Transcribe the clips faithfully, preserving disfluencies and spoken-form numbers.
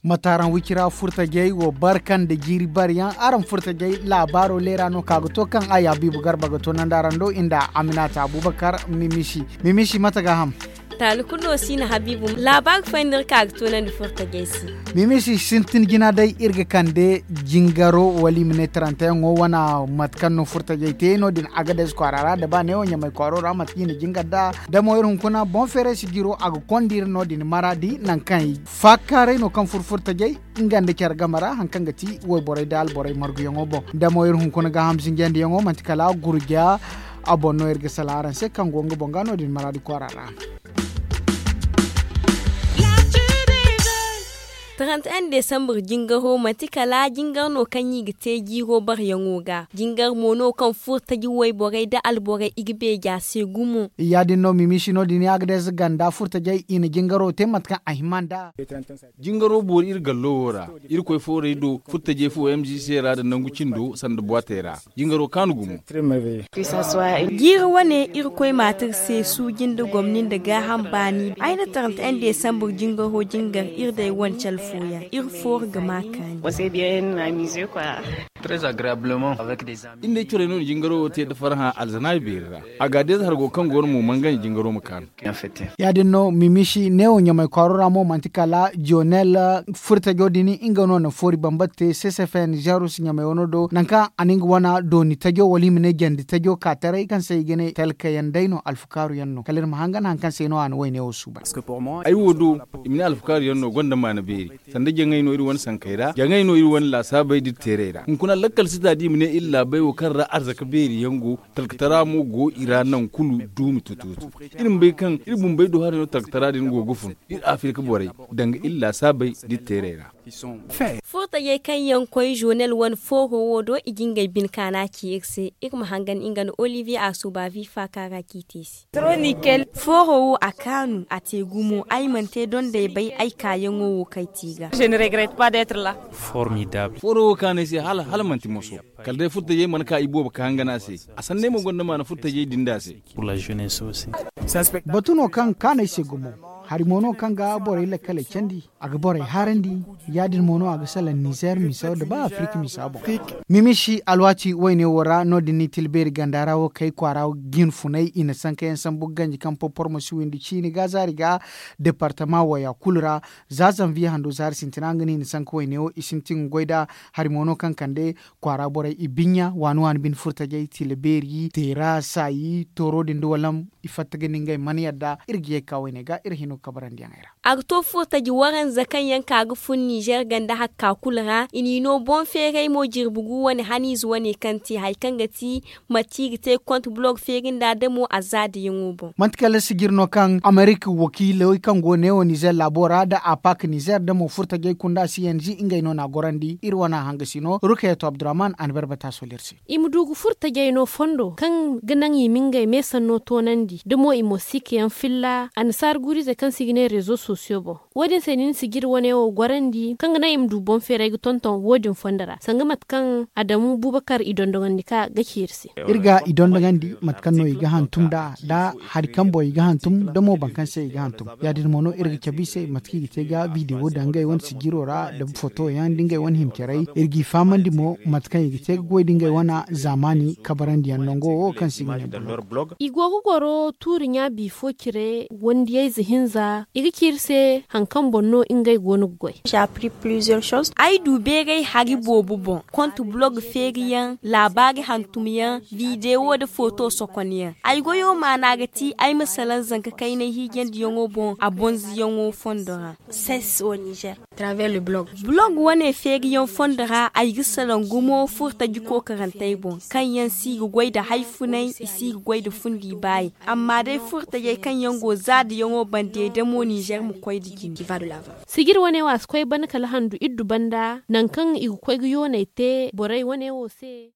Mataaraŋ wicira furtajey wo barka nda jiiri bariyaŋ araŋ furtajey laabaaro leera no ka ga to kaŋ a ya biibu garba ga to nanda araŋ do inda aminata abubakar mimisi. Mimisi mate ga ham? Taali kulu no si na habiibu laabaari fooyaŋ no iri ka ga to nandi furtajey se. Mimisi sintin jina day iri ga kande jingaro wala i ma ne tarantayaŋo wana mate kaŋ no furtajey te no- din a ga day si kwaara ra da ba neewo ɲamay kwaaro ra mate kaŋ i na jingar nd'a. Da mo iri hunkuna boŋ feeray si jiro a ga konda iri no- din maraadi nangu kaŋ i faakaaray no kaŋ furfurtajey nga nda care game ra hari kaŋ ga ti wayborey nda alborey marguyaŋo boŋ. Da mo iri hunkuna gaaham zinjandiyaŋo manti kala gurja a boŋ no iri ga salaŋ araŋ se kaŋ go nga boŋ ga no- din maraadi kwaara ra. Taranti en desambur jingaro manti kala jingar no kaŋ i ga te jiiro barayaŋo ga. Jingar mo no kaŋ furtaji wayborey nda alborey i ga beeja se gumo. Ya- din no mimisi no- din ya ga day za ganda furtajey i na jingaro te mate kaŋ a hima nd'a. Jingaro boori iri gallo wo ra. Irkoy fooray do furtajey fo m g c ra nda nangu cindo sanda buwaatey ra. Jingaro kaanu gumo. Jiiri wane irkoy maata iri se suuji nda gomni nda gaaham baani ay na taranta en desambur jingaro jingar iri day wane cale fooyaŋ iri fooru ga ma kaani. Iri ne corey no na jingaro wo te nda farhã alzanaabi beeri ra. Agadeez hargo kaŋ go no mo mangani jingaro ma kaanu. Ya- din no mimisi neewo ɲamay kwaaro ra mo manti kala jonel furtajo din nga no na foori bambata te ccfn jarus ɲamay wano do nangu kaŋ a na nga wana dooni tajo wala i ma ne jandi tajo ka taray kaŋ se i ga ne talkayaŋ day no alfukaaru yaŋ no kala iri ma hangan hari kaŋ se no a na wayne wo suuban. Ay wo do i ma ne alfukaaru yaŋ no gonda maana beeri. Sanda jaŋay no iri wane sankey ra jaŋay no iri wane laasaabey da iri teerey ra hunkuna lakkal si ta da i ma ne iri laabey wo kaŋ ra arzaka beeri yaŋ go. Talkatara mo go i ra nangu kulu duumi tutuutu. Iri ma bay kaŋ iri bumbey do haray no talkatara din go ga fun iri afirka borey danga iri laasaabey da iri teerey ra. Furtajey kaŋ yaŋ koy zonel wane fooro wo do i ga ngey bine kaana ci iri se. Iri ma hangan nga nda olivier a suuba vifa kaara k'i te i se. Fooro wo a kaanu a te gumo ay mana te dondey bay ay kaayaŋo wo kaŋ ay te i ga. Fooro wo kaanu ay se hala manti moso. Kala day furtajey mana ka i boobo ka hangan a se. A sanney mo gonda maana furtajey din da se. Batu no kaŋ kaanu ay se gumo. Hari mo no kaŋ ga borey lakkaley candi a ga borey haarandi. Ya- din mo no a ga salaŋ nizer misa da ba afirka misa boŋ. Mimisi alwaati wayne wo ra no- din ni tilbeeri ganda ra wo kay kwaara jinfunay i na sankayaŋ sambu ganji kaŋ porpor ma si windi ciini ga zaari ga departama waya kulu ra. Za zanviye hando zaari sintina nga no i na sanka wayne wo i sintin ga goy nd'a. Hari mo no kaŋ kande kwaara borey i biɲɲa waani waani bine furtajey tila beeri teera saayi tooro din da walam. I fatta ga ni ngey mana yadda iri ga ye ga ka wayne ga iri hino ga kabarandi yaŋey ra. A ga to furtaji waranza kaŋ yaŋ ka ga fun nizer ganda hakka kulu ra i n'i no boŋ feeray mo jirbi gu wane haniize wane kaŋ te hari kaŋ ga ti mate i ga te konte bulog feeri nda damo a zaadayaŋo boŋ. Manti kala sijir no kaŋ amerika wakiiley kaŋ go neewo nizer laabo ra nda apak nizer damo furtajey kunda si yanzi ngey no n'a gorandi iri wana hangasi no rukayeto abdurrahman a na barbata sola iri se. I ma du ga furtajey no fondo kaŋ ga naŋ i ma ngey meesanno toonandi da mo i mo si ka yaŋ filla annasaara guuriizey kaŋ se i ga ne rezo sosiyo boŋ. Wo- din se nin sijir wane wo gorandi kaŋ ga naŋ i ma du boŋ feeray ga tonton wo- din fondo ra sanga mate kaŋ adamu bubakar i dondogandi ka ga ci iri se. Iri ga i dondogandi mate kaŋ no i ga hantum nd'a da hari kaŋ boŋ i ga hantum da mo boro kaŋ se i ga hantum. Ya- din mo no iri ga cabe i se mate kaŋ i ga te ga bidewo daŋ ngey wane sijiro ra da foto yaŋ da ngey wane hima caray iri g'i fahamandi mo mate kaŋ i ga te ga goy da ngey wane zaamaani kabarandi yaŋ nango wo kaŋ se i ga ne boro. I go ga goro tuuri ɲa biifo cire wandiyayze hinza i ga ci iri se hari kaŋ boŋ no ngey go no ga goy. Ay du beeray hari boobo boŋ konte bulog feeriyaŋ laabaari hantumyaŋ bidewo nda foto sokonyaŋ. Ay goyo maana ga ti ay ma salaŋ zanka kaynay hiijandiyaŋo boŋ a bonzoyaŋo fondo ra. Bulog wane feeriyaŋ fondo ra ay ga salaŋ gumo furtaji kookarantey boŋ kaŋ yaŋ si ga goy nda hari funay i si ga goy nda fundi baayi. Amma day furtajey kaŋ yaŋ go zaadayaŋo bande damo nizer ma koy nda jine. Sijir wane wo a si koy bana kala handu iddu banda nangu kaŋ i ga koy ga yooney te borey wane wo se.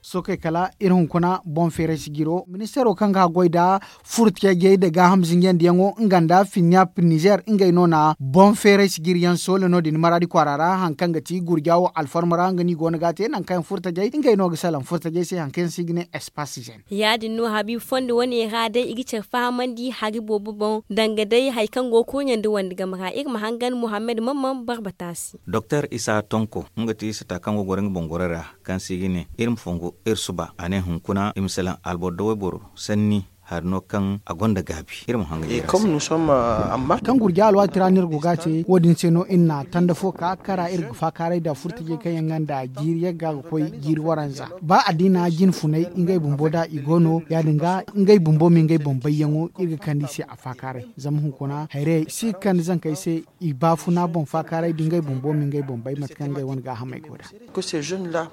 Sookey kala iri hunkuna boŋ feeray sijiro ministeero kaŋ ga haggoy nda furtajey nda gaaham zinjandiyaŋo nga nda finniyap nizer ngey no na boŋ feeray sijiriyaŋ soola no- din maraadi kwaara ra hari kaŋ ga ti gurja wo alfarma ra nga no i go no ga a te nangu kaŋ yaŋ furtajey ngey no ga salaŋ furtajey se hari kaŋ yaŋ se i ga ne espace zen. Ya- din no habiibu fondo wane ra day i ga care fahamandi hari boobo boŋ danga day hari kaŋ go ga kurɲe nda wande game ra iri ma hangan muhammad mamman barbata se. Doktor isa tonko nga ti sata kaŋ go ga goro nga boŋ goro ra kaŋ se i ga ne iri ma fongu iri suba a ne hunkuna i ma salaŋ alboro da wayboro sanni hari no kaŋ a gonda gaabi iri ma hanga jeera se. Kaŋ gurja alwaati ra no iri go ga a te wo- din se no iri na tanda fo ka kara iri ga faakaaray nda furtajey kaŋ yaŋ ga nda jiiri yagga ga koy jiiri waranza ba addiina jinfunay ngey bumbo da i go no ya- din ga ngey bumbo ma ngey boŋ bayyaŋo iri ga kande i se a faakaaray zama hunkuna hayrayey si ga kande zankey se i baafuna boŋ faakaaray da ngey bumbo ma ngey boŋ bay mate kaŋ ngey wane gaahamey go nd'a.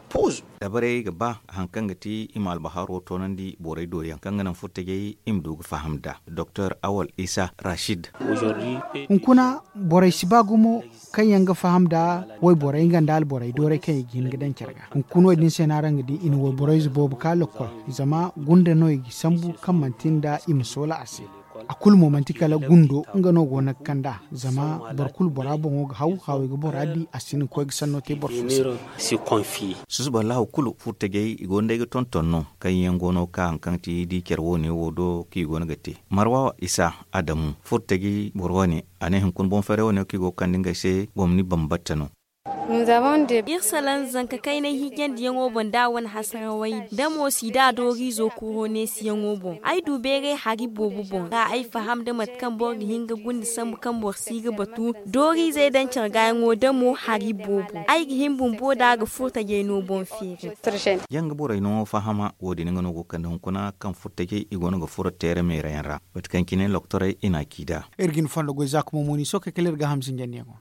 Dabarey ga ba hari kaŋ ga ti i ma albaharo toonandi borey do yaŋ kaŋ ga naŋ furtajey i ma du ga faham nd'a doktor awal isa rashid. Hunkuna borey si ba gumo kaŋ yaŋ ga faham nd'a wayborey nga nda alborey doorey kaŋ i ga hin ga daŋ care ga hunkuna wo- din se no araŋ ga di i na wayborey ze boobo ka lokkol zama gunda no i ga sambu kaŋ manti nda i ma soola a se. A kulu mo manti kala gundo nga no go no ga kand'a zama boro kulu bora boŋo ga haw hawey ga bora di a si hin ga koy ga sanno te boro fo se. Susuba allahu kulu furtajey i go no day ga tonton no kaŋ yaŋ go no ga ka hari kaŋ ti di care wo- ne wo do kaŋ i go no ga te marwawa isa adamu furtajey boro wane a ne hunkuna boŋ feeray wane kaŋ i go ga kande ngey se gomni bambata no. Iri salaŋ zanka kaynay hiijandiyaŋo boŋ da wane hasarawey da mo si da dooriizo kuro neesiyaŋo boŋ ay du beeray hari boobo boŋ ra ay faham nda mate kaŋ boro ga hin ga gunde sambu kaŋ boro si ga batu dooriizey daŋ care gaayaŋo da mo hari boobo ay ga hin bumbo da ga furtajey no boŋ feeri. Yaŋ ga borey no fahama wo- din nga no go ga kande hunkuna kaŋ furtajey i go no ga furo teere meerayaŋ ra mate kaŋ cine loktorey i na a ci nd'a. Iri ga ni fondo goy za ka mo mo ni sookey kala iri gaaham zinjandiyaŋo.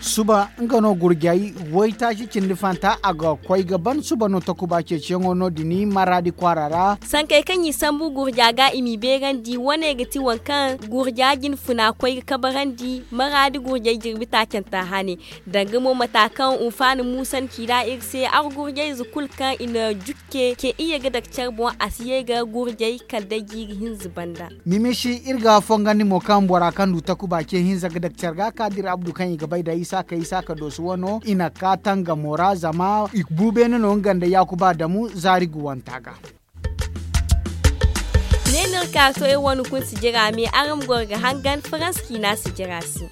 Suba nga no gurjay waytaaci cindi fanta a ga koy ga ban suba no takuba ceeciyaŋo no- din maraadi kwaara ra. Sankey kaŋ i sambu gurja ga i m'i beerandi wane ga ti waŋ kaŋ gurja jinfuna koy ga kabarandi maraadi gurjay jirbi taacanta hane. Danga mo mata kaŋ unfaani muusan ci ra iri se argurjayze kulu kaŋ i na jukke ce iyye ga dake care boŋ a si ye ga gurjay kala day jiiri hinza banda. Mimisi iri ga fongandi mo kaŋ bora kaŋ du takuba ce hinza ga dake care ga ka dira abdu kaŋ i ga bay da isaaka isaaka dooso wano i na ka tangamo ra zama i bu beene no nga nda yaakuba damu zaari ga wanta ga. Ne no iri ka to iri wane kuna sijira me araŋ ma goro ga hangan faransa ciina sijira se.